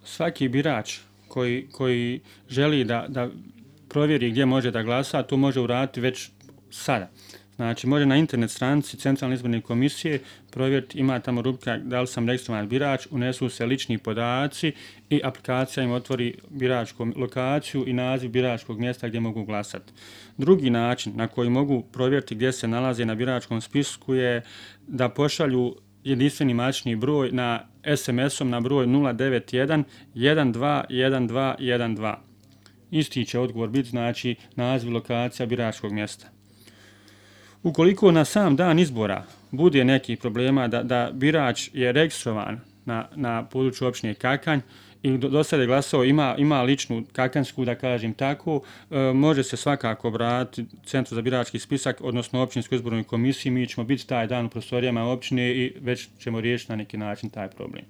Svaki birač koji želi da provjeri gdje može da glasa, to može uraditi već sada. Znači, može na internet stranici Centralne izborne komisije provjeriti, ima tamo rubrika da li sam registrovan birač, unesu se lični podaci i aplikacija im otvori biračku lokaciju i naziv biračkog mjesta gdje mogu glasati. Drugi način na koji mogu provjeriti gdje se nalaze na biračkom spisku je da pošalju jedinstveni matični broj na SMS-om na broj 091 12 12 12. Isti će odgovor biti, znači naziv lokacija biračkog mjesta. Ukoliko na sam dan izbora bude nekih problema da birač je registrovan na području općine Kakanj i do sada je glasao, ima ličnu kakanjsku, da kažem tako, može se svakako obratiti Centru za birački spisak, odnosno općinskoj izbornoj komisiji. Mi ćemo biti taj dan u prostorijama općine i već ćemo riješiti na neki način taj problem.